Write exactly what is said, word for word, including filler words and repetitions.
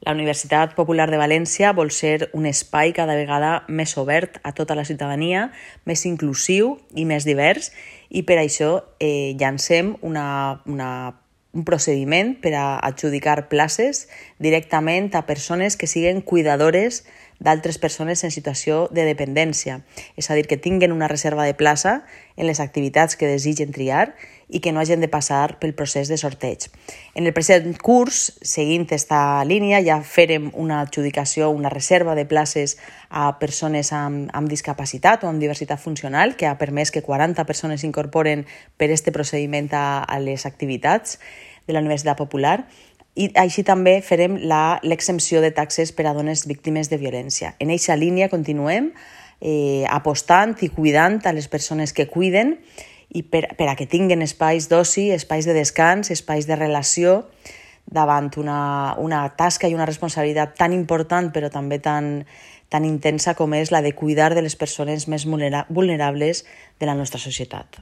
La Universitat Popular de València vol ser un espai cada vegada més obert a tota la ciutadania, més inclusiu i més divers, i per això eh, llancem una, una, un procediment per a adjudicar places directament a persones que siguin cuidadores d'altres persones en situació de dependència, és a dir, que tinguin una reserva de plaça en les activitats que desitgen triar i que no hagin de passar pel procés de sorteig. En el present curs, seguint aquesta línia, ja farem una adjudicació, una reserva de places a persones amb, amb discapacitat o amb diversitat funcional, que ha permès que quaranta persones s'incorporen per aquest procediment a, a les activitats de la Universitat Popular, i així també farem l'exempció de taxes per a dones víctimes de violència. En aquesta línia continuem eh, apostant i cuidant a les persones que cuiden i per, per a que tinguin espais d'oci, espais de descans, espais de relació davant una, una tasca i una responsabilitat tan important però també tan, tan intensa com és la de cuidar de les persones més vulnerables de la nostra societat.